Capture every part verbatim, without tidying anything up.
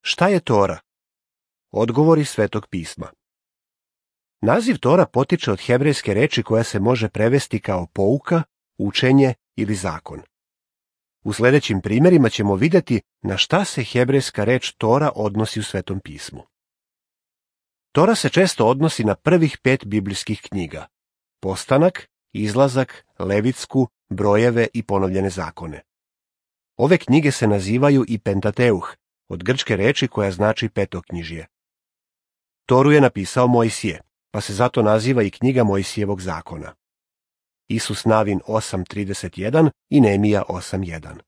Šta je Tora? Odgovori Svetog pisma. Naziv Tora potiče od hebrejske reči koja se može prevesti kao pouka, učenje ili zakon. U sljedećim primjerima ćemo vidjeti na šta se hebrejska reč Tora odnosi u Svetom pismu. Tora se često odnosi na prvih pet biblijskih knjiga: Postanak, Izlazak, Levitsku, Brojeve i Ponovljene zakone. Ove knjige se nazivaju i Pentateuh, od grčke reči koja znači petoknjižje. Toru je napisao Mojsije, pa se zato naziva i knjiga Mojsijevog zakona. Isus Navin osam trideset jedan i Neemija osam jedan.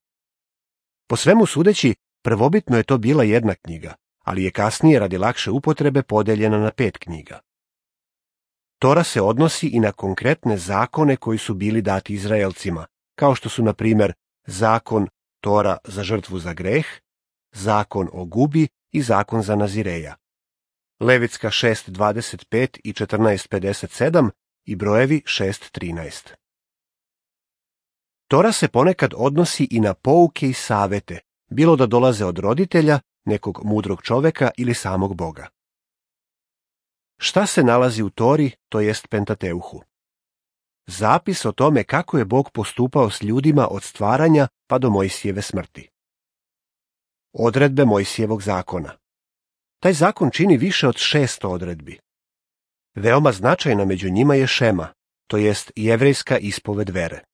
Po svemu sudeći, prvobitno je to bila jedna knjiga, ali je kasnije radi lakše upotrebe podeljena na pet knjiga. Tora se odnosi i na konkretne zakone koji su bili dati Izraelcima, kao što su, na primjer, zakon Tora za žrtvu za greh, zakon o gubi i zakon za Nazireja. Levitska šest dvadeset pet i četrnaest pedeset sedam i Brojevi šest trinaest. Tora se ponekad odnosi i na pouke i savete, bilo da dolaze od roditelja, nekog mudrog čoveka ili samog Boga. Šta se nalazi u Tori, to jest Pentateuhu? Zapis o tome kako je Bog postupao s ljudima od stvaranja pa do Mojsijeve smrti. Odredbe Mojsijevog zakona. Taj zakon čini više od šesto odredbi. Veoma značajna među njima je šema, to jest jevrejska ispoved vere.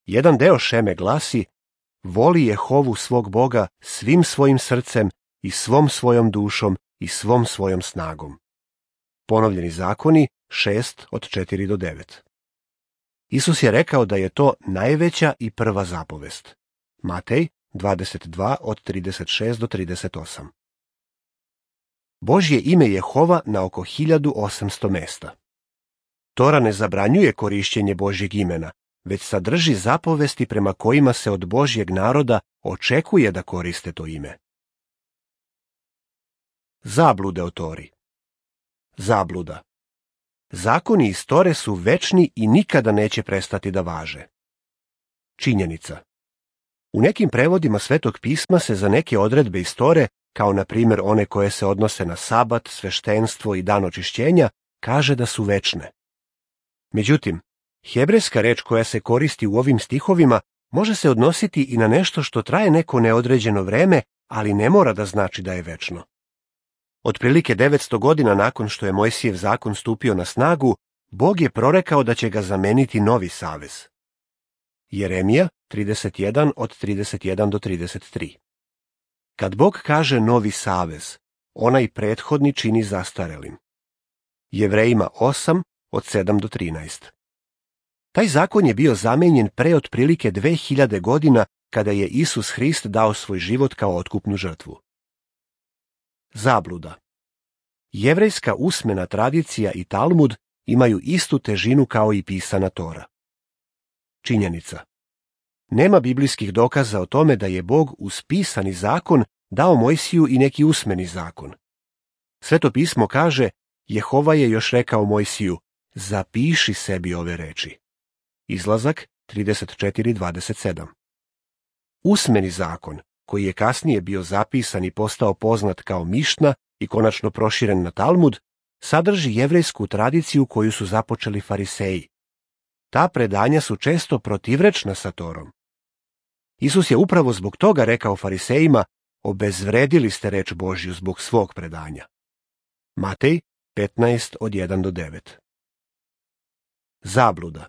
Jedan deo šeme glasi: voli Jehovu svog Boga svim svojim srcem i svom svojom dušom i svom svojom snagom. Ponovljeni zakoni šest od četiri do devet. Isus je rekao da je to najveća i prva zapovest. Matej dvadeset dva od trideset šest do trideset osam. Božje ime Jehova na oko hiljadu osamsto mesta. Tora ne zabranjuje korišćenje Božjeg imena, već sadrži zapovesti prema kojima se od Božjeg naroda očekuje da koriste to ime. Zablude o Tori. Zabluda. Zakoni iz Tore su večni i nikada neće prestati da važe. Činjenica. U nekim prevodima Svetog pisma se za neke odredbe iz Tore, kao na primjer one koje se odnose na sabat, sveštenstvo i dan očišćenja, kaže da su večne. Međutim, hebrejska reč koja se koristi u ovim stihovima može se odnositi i na nešto što traje neko neodređeno vreme, ali ne mora da znači da je večno. Otprilike devetsto godina nakon što je Mojsijev zakon stupio na snagu, Bog je prorekao da će ga zameniti novi savez. Jeremija trideset jedan od trideset jedan do trideset tri. Kad Bog kaže novi savez, onaj prethodni čini zastarelim. Jevrejima osam od sedam do trinaest. Taj zakon je bio zamenjen pre otprilike dve hiljade godina kada je Isus Hrist dao svoj život kao otkupnu žrtvu. Zabluda. Jevrejska usmena tradicija i Talmud imaju istu težinu kao i pisana Tora. Činjenica. Nema biblijskih dokaza o tome da je Bog uz pisani zakon dao Mojsiju i neki usmeni zakon. Sveto pismo kaže: Jehova je još rekao Mojsiju: zapiši sebi ove reči. Izlazak trideset četiri dvadeset sedam. Usmeni zakon, koji je kasnije bio zapisan i postao poznat kao Mišna i konačno proširen na Talmud, sadrži jevrejsku tradiciju koju su započeli fariseji. Ta predanja su često protivrečna sa Torom. Isus je upravo zbog toga rekao farisejima: obezvredili ste reč Božju zbog svog predanja. Matej petnaest od jedan do devet. Zabluda.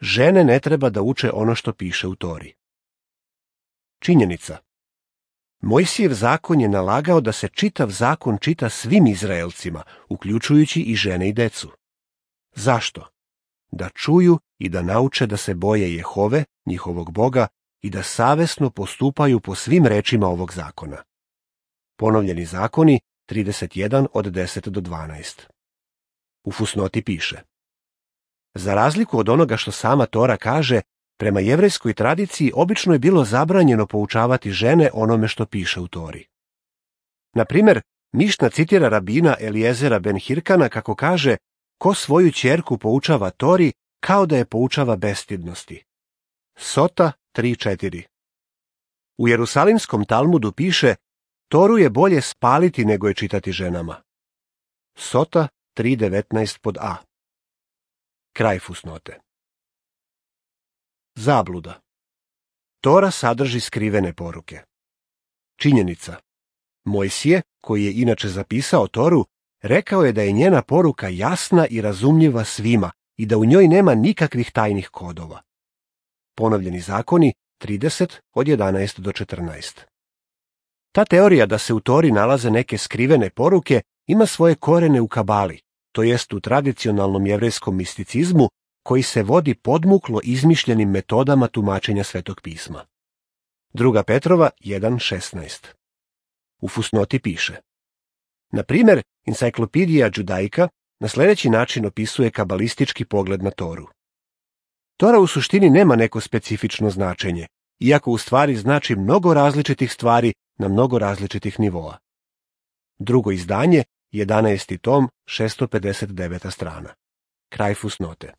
Žene ne treba da uče ono što piše u Tori. Činjenica. Mojsijev zakon je nalagao da se čitav zakon čita svim Izraelcima, uključujući i žene i decu. Zašto? Da čuju i da nauče da se boje Jehove, njihovog Boga, i da savesno postupaju po svim rečima ovog zakona. Ponovljeni zakoni trideset jedan od deset do dvanaest. U fusnoti piše: za razliku od onoga što sama Tora kaže, prema jevrejskoj tradiciji obično je bilo zabranjeno poučavati žene onome što piše u Tori. Na primjer, Mišna citira rabina Elijezera ben Hirkana kako kaže: ko svoju ćerku poučava Tori, kao da je poučava bestidnosti. Sota tri četiri. U Jerusalimskom Talmudu piše: Toru je bolje spaliti nego je čitati ženama. Sota tri devetnaest pod A. Kraj fusnote. Zabluda. Tora sadrži skrivene poruke. Činjenica. Mojsije, koji je inače zapisao Toru, rekao je da je njena poruka jasna i razumljiva svima i da u njoj nema nikakvih tajnih kodova. Ponovljeni zakoni trideset od jedanaest do četrnaest. Ta teorija da se u Tori nalaze neke skrivene poruke ima svoje korene u kabali, to jest u tradicionalnom jevrejskom misticizmu koji se vodi podmuklo izmišljenim metodama tumačenja Svetog pisma. Druga Petrova jedan šesnaest. U fusnoti piše: na primjer, Enciklopedija Judaica na sljedeći način opisuje kabalistički pogled na Toru. Tora u suštini nema neko specifično značenje, iako u stvari znači mnogo različitih stvari na mnogo različitih nivoa. Drugo izdanje, jedanaesti tom, šesto pedeset deveta strana. Kraj fusnote.